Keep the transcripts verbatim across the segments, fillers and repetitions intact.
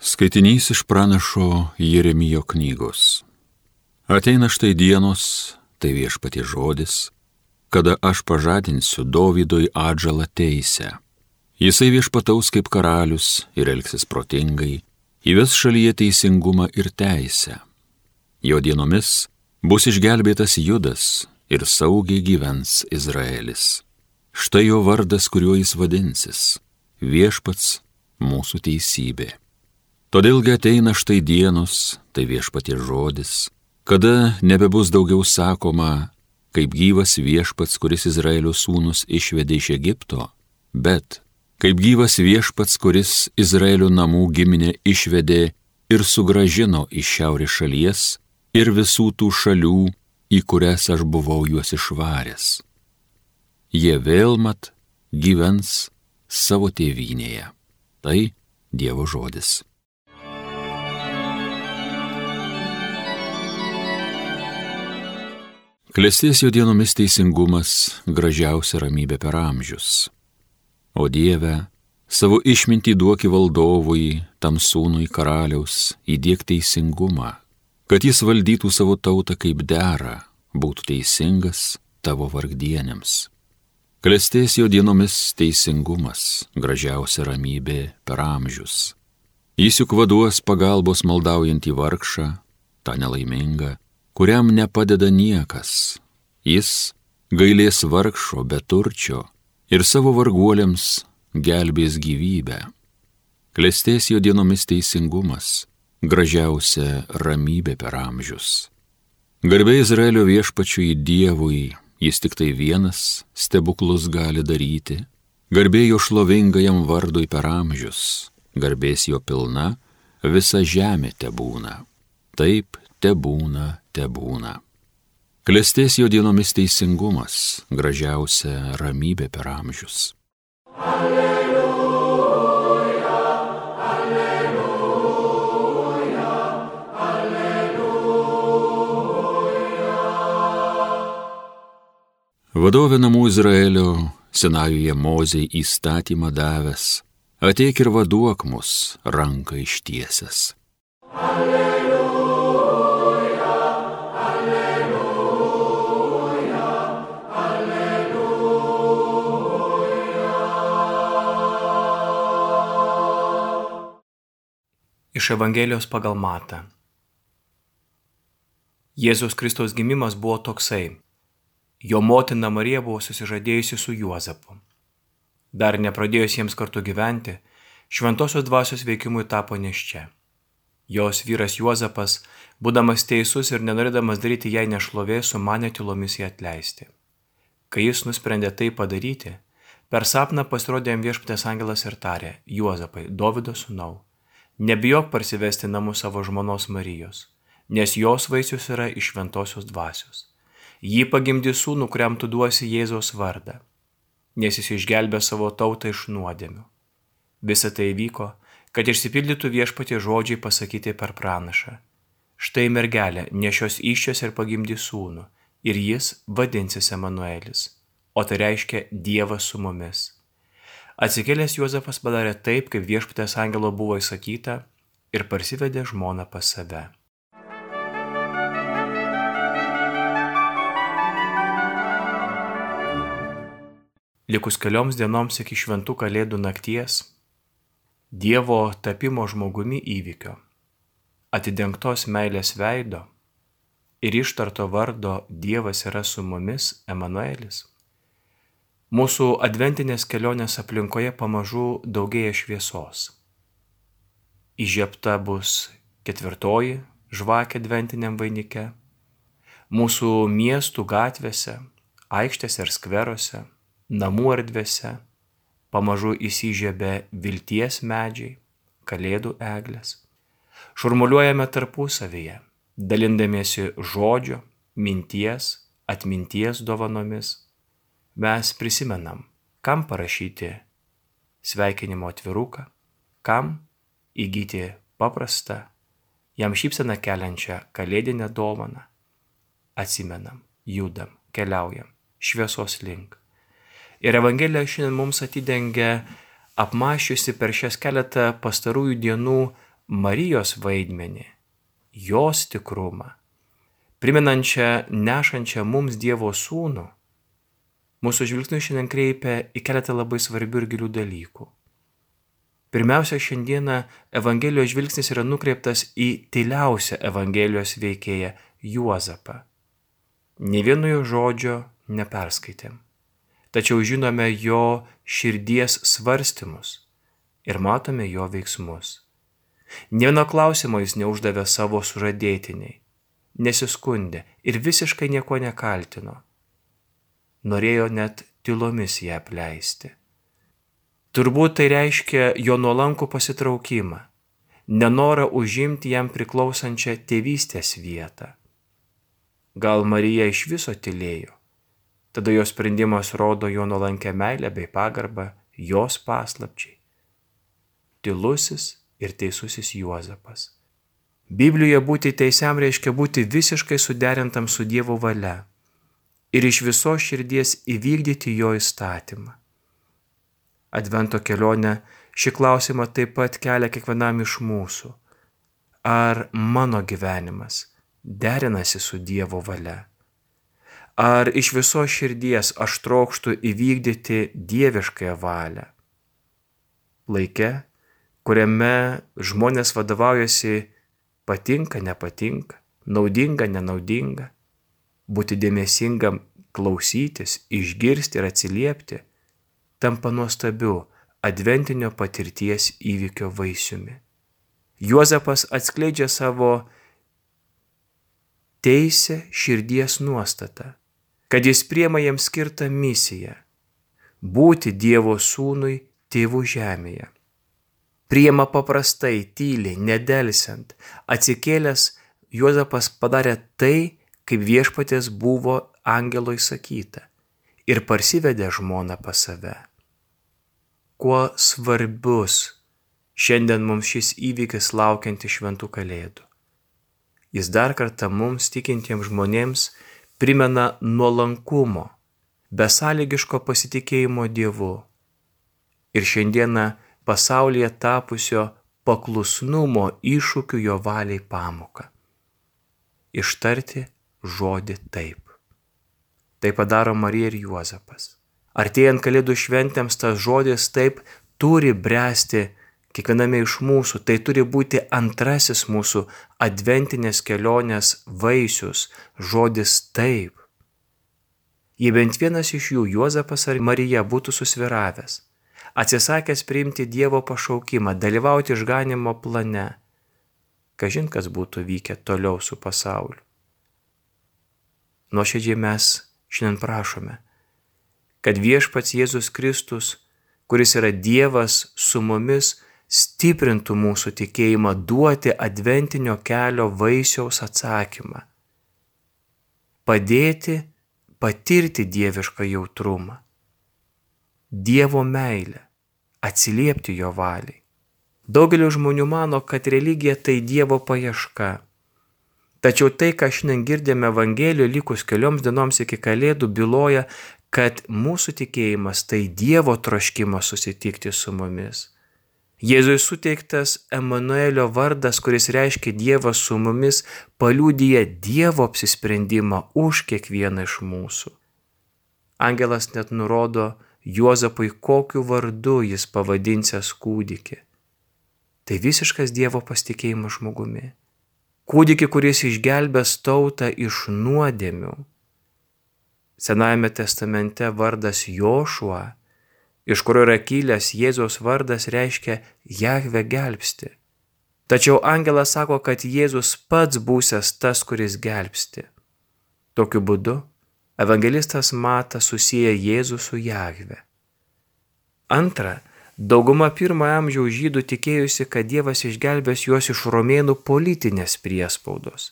Skaitinys iš pranašo Jeremijo knygos. Ateina štai dienos, tai viešpaties žodis, kada aš pažadinsiu Dovydui atžalą teisę. Jisai viešpataus kaip karalius ir elgsis protingai, įves šalyje teisingumą ir teisę. Jo dienomis bus išgelbėtas Judas ir saugiai gyvens Izraelis. Štai jo vardas, kuriuo jis vadinsis - viešpats mūsų teisybė. Todėlgi ateina štai dienos, tai viešpaties žodis, kada nebebus daugiau sakoma, kaip gyvas viešpats, kuris Izraelio sūnus išvedė iš Egipto, bet kaip gyvas viešpats, kuris Izraelio namų giminę išvedė ir sugrąžino iš šiaurės šalies ir visų tų šalių, į kurias aš buvau juos išvaręs. Jie vėl mat gyvens savo tėvynėje. Tai Dievo žodis. Klestės jo dienomis teisingumas, gražiausia ramybė per amžius. O Dieve, savo išmintį duoki valdovui, tam sūnui karaliaus, įdiek teisingumą, kad jis valdytų savo tautą kaip dera, būtų teisingas tavo vargdienėms. Klestės jo dienomis teisingumas, gražiausia ramybė per amžius. Jis juk vaduos pagalbos maldaujantį vargšą, tą nelaimingą, kuriam nepadeda niekas. Jis gailės vargšo beturčio ir savo varguoliams gelbės gyvybę. Klestės jo dienomis teisingumas, gražiausia ramybė per amžius. Garbė Izraelio viešpačiui Dievui, jis tik tai vienas stebuklus gali daryti. Garbė jo šlovingajam vardui per amžius, garbės jo pilna, visa žemė tebūna. Taip tebūna, tebūna. Klestės jo dienomis teisingumas, gražiausia ramybė per amžius. Alleluja, alleluja, alleluja. Vadovė namų Izraelio, Sinajuje Mozei įstatymą davęs, ateik ir vaduok mus ranką ištiesęs. Alleluja. Iš Evangelijos pagal Matą. Jėzaus Kristaus gimimas buvo toksai. Jo motina Marija buvo susižadėjusi su Juozapu. Dar nepradėjus jiems kartu gyventi, šventosios dvasios veikimui tapo nėščia. Jos vyras Juozapas, būdamas teisus ir nenorėdamas daryti jai nešlovės, sumanė tylomis ją atleisti. Kai jis nusprendė tai padaryti, per sapną pasirodė jam viešpaties angelas ir tarė: Juozapai, Dovydo sūnau, nebijok parsivesti namų savo žmonos Marijos, nes jos vaisius yra iš šventosios dvasios. Ji pagimdys sūnų, kuriam tu duosi Jėzaus vardą, nes jis išgelbė savo tautą iš nuodėmių. Visa tai vyko, kad išsipildytų viešpatie žodžiai pasakyti per pranašą. Štai mergelė nešios įsčios ir pagimdys sūnų, ir jis vadinsis Emanuelis, o tai reiškia Dievas su mumis. Atsikėlęs Juozapas padarė taip, kaip viešpaties angelo buvo įsakyta, ir parsivedė žmoną pas save. Likus kelioms dienoms iki šventų kalėdų nakties, Dievo tapimo žmogumi įvykio, atidengtos meilės veido ir ištarto vardo Dievas yra su mumis, Emanuelis, mūsų adventinės kelionės aplinkoje pamažu daugėja šviesos. Įžiebta bus ketvirtoji žvakė adventiniam vainike. Mūsų miestų gatvėse, aikštėse ir skveruose, namų erdvėse pamažu įsižiebė vilties medžiai, kalėdų eglės. Šurmuliuojame tarpusavyje, dalindamiesi žodžio, minties, atminties dovanomis. Mes prisimenam, kam parašyti sveikinimo atviruką, kam įgyti paprastą, jam šypseną keliančią kalėdinę dovaną. Atsimenam, judam, keliaujam šviesos link. Ir Evangelija šiandien mums atidengia apmąsčiusi per šias keletą pastarųjų dienų Marijos vaidmenį, jos tikrumą, primenančią nešančią mums Dievo sūnų, mūsų žvilgsnius šiandien kreipia į keletą labai svarbių ir gilių dalykų. Pirmiausia, šiandieną Evangelijos žvilgsnis yra nukreiptas į tyliausią Evangelijos veikėją Juozapą. Nė vieno jo žodžio neperskaitėm, tačiau žinome jo širdies svarstymus ir matome jo veiksmus. Nė vieno klausimo jis neuždavė savo sužadėtiniai, nesiskundė ir visiškai nieko nekaltino. Norėjo net tylomis ją apleisti. Turbūt tai reiškia jo nuolankų pasitraukimą, nenorą užimti jam priklausančią tėvystės vietą. Gal Marija iš viso tylėjo, tada jo sprendimas rodo jo nuolankę meilę bei pagarbą jos paslapčiai. Tylusis ir teisusis Juozapas. Biblijoje būti teisiam reiškia būti visiškai suderintam su Dievo valia ir iš visos širdies įvykdyti jo įstatymą. Advento kelionė šį klausimą taip pat kelia kiekvienam iš mūsų. Ar mano gyvenimas derinasi su Dievo valia? Ar iš visos širdies aš trokštu įvykdyti dieviškąją valią? Laike, kuriame žmonės vadovaujasi patinka, nepatinka, naudinga, nenaudinga, būti dėmesingam, klausytis, išgirsti ir atsiliepti, tampa nuostabiu adventinio patirties įvykio vaisiumi. Juozapas atskleidžia savo teisę širdies nuostatą, kad jis priima jam skirtą misiją – būti Dievo sūnui tėvų žemėje. Priima paprastai, tyliai, nedelsiant, atsikėlęs Juozapas padarė tai, kaip viešpaties buvo angelo įsakyta ir parsivedė žmoną pas save. Kuo svarbus šiandien mums šis įvykis laukiantis šventų kalėdų. Jis dar kartą mums tikintiems žmonėms primena nuolankumo, besąlygiško pasitikėjimo Dievu ir šiandieną pasaulyje tapusio paklusnumo iššūkių jo valiai pamoką. Ištarti žodį taip. Tai padaro Marija ir Juozapas. Artėjant kalėdų šventėms tas žodis taip turi bręsti kiekviename iš mūsų, tai turi būti antrasis mūsų adventinės kelionės vaisius, žodis taip. Jei bent vienas iš jų, Juozapas ar Marija, būtų susviravęs, atsisakęs priimti Dievo pašaukimą, dalyvauti išganymo plane, kažin kas būtų vykę toliau su pasauliu. Nuoširdžiai mes šiandien prašome, kad viešpats Jėzus Kristus, kuris yra Dievas su mumis, stiprintų mūsų tikėjimą duoti adventinio kelio vaisiaus atsakymą. Padėti patirti dievišką jautrumą, Dievo meilę, atsiliepti jo valiai. Daugelis žmonių mano, kad religija tai Dievo paieška. Tačiau tai, ką šiandien girdėme Evangelijoje likus kelioms dienoms iki kalėdų, byloja, kad mūsų tikėjimas tai Dievo troškimas susitikti su mumis. Jėzui suteiktas Emanuelio vardas, kuris reiškia Dievas su mumis, paliudija Dievo apsisprendimą už kiekvieną iš mūsų. Angelas net nurodo Juozapui, kokiu vardu jis pavadinsiąs kūdikį. Tai visiškas Dievo pasitikėjimas žmogumi. Kūdikį, kuris išgelbės tautą iš nuodėmių. Senajame testamente vardas Jošua, iš kurio yra kilęs Jėzaus vardas, reiškia Jahve gelbsti. Tačiau angelas sako, kad Jėzus pats būsiąs tas, kuris gelbsti. Tokiu būdu evangelistas Matas susieja Jėzų su Jahve. Antra, dauguma pirmojo amžiaus žydų tikėjusi, kad Dievas išgelbės juos iš romėnų politinės priespaudos.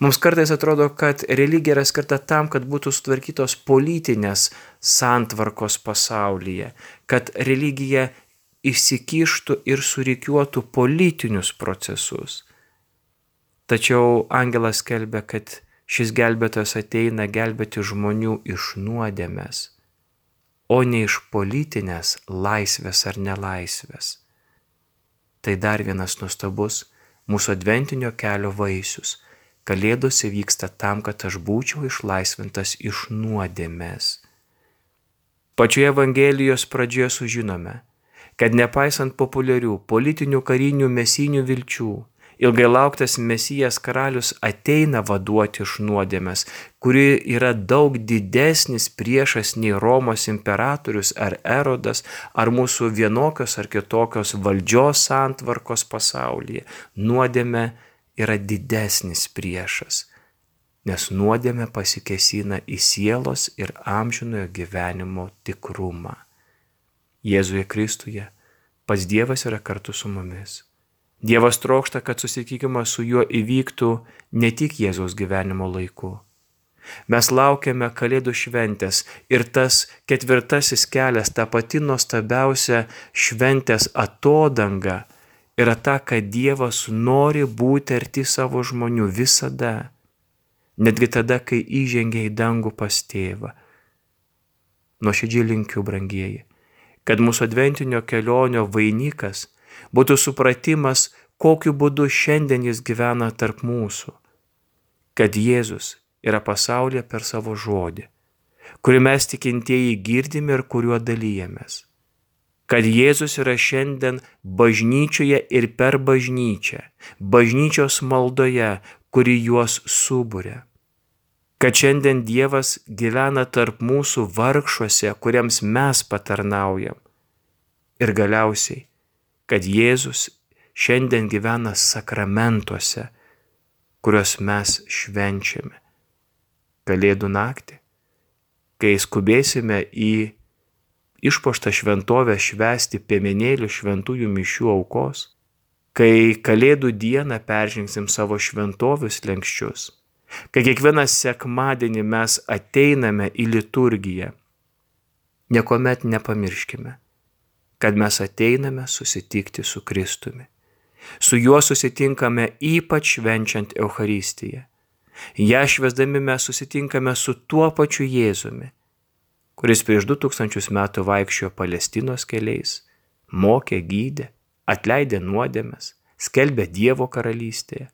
Mums kartais atrodo, kad religija yra skirta tam, kad būtų sutvarkytos politinės santvarkos pasaulyje, kad religija įsikištų ir surikiuotų politinius procesus. Tačiau angelas skelbia, kad šis gelbėtojas ateina gelbėti žmonių iš nuodėmės, o ne iš politinės laisvės ar nelaisvės. Tai dar vienas nuostabus mūsų adventinio kelio vaisius. Kalėdos įvyksta tam, kad aš būčiau išlaisvintas iš nuodėmės. Pačioje Evangelijos pradžioje sužinome, kad nepaisant populiarių politinių, karinių, mesinių vilčių, ilgai lauktas Mesijas karalius ateina vaduoti iš nuodėmės, kuri yra daug didesnis priešas nei Romos imperatorius ar Erodas, ar mūsų vienokios ar kitokios valdžios santvarkos pasaulyje. Nuodėmė yra didesnis priešas, nes nuodėmė pasikėsina į sielos ir amžinojo gyvenimo tikrumą. Jėzuje Kristuje pats Dievas yra kartu su mumis. Dievas trokšta, kad susitikimas su juo įvyktų ne tik Jėzaus gyvenimo laiku. Mes laukiame Kalėdų šventės ir tas ketvirtasis kelias, ta pati nuostabiausia šventės atodanga, yra ta, kad Dievas nori būti arti savo žmonių visada, netgi tada, kai įžengia į dangų pas tėvą. Nuoširdžiai linkiu, brangieji, kad mūsų adventinio kelionio vainikas būtų supratimas, kokiu būdu šiandien jis gyvena tarp mūsų, kad Jėzus yra pasaulyje per savo žodį, kurį mes tikintieji girdime ir kuriuo dalyjamės, kad Jėzus yra šiandien bažnyčioje ir per bažnyčią, bažnyčios maldoje, kuri juos suburia, kad šiandien Dievas gyvena tarp mūsų vargšuose, kuriems mes patarnaujam, ir galiausiai, kad Jėzus šiandien gyvena sakramentuose, kuriuos mes švenčiame. Kalėdų naktį, kai skubėsime į išpuoštą šventovę švęsti piemenėlių šventųjų mišių aukos, kai Kalėdų dieną peržengsim savo šventovių slenksčius, kai kiekvieną sekmadienį mes ateiname į liturgiją, niekuomet nepamirškime, kad mes ateiname susitikti su Kristumi. Su juo susitinkame ypač švenčiant Eucharistiją. Ja švęsdami mes susitinkame su tuo pačiu Jėzumi, kuris prieš du tūkstančius metų vaikščiojo Palestinos keliais, mokė, gydė, atleidė nuodėmes, skelbė Dievo karalystėje.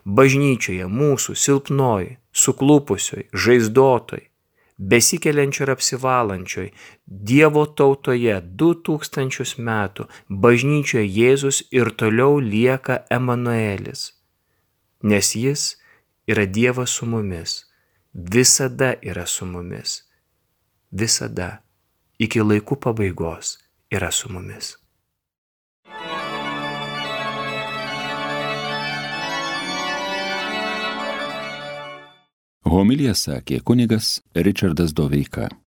Bažnyčioje mūsų silpnoj, suklupusioj, žaizdotoj, besikeliančioj ir apsivalančioj Dievo tautoje du tūkstančius metų bažnyčioje Jėzus ir toliau lieka Emanuelis, nes jis yra Dievas su mumis, visada yra su mumis, visada iki laikų pabaigos yra su mumis. Homiliją sakė kunigas Ričardas Doveika.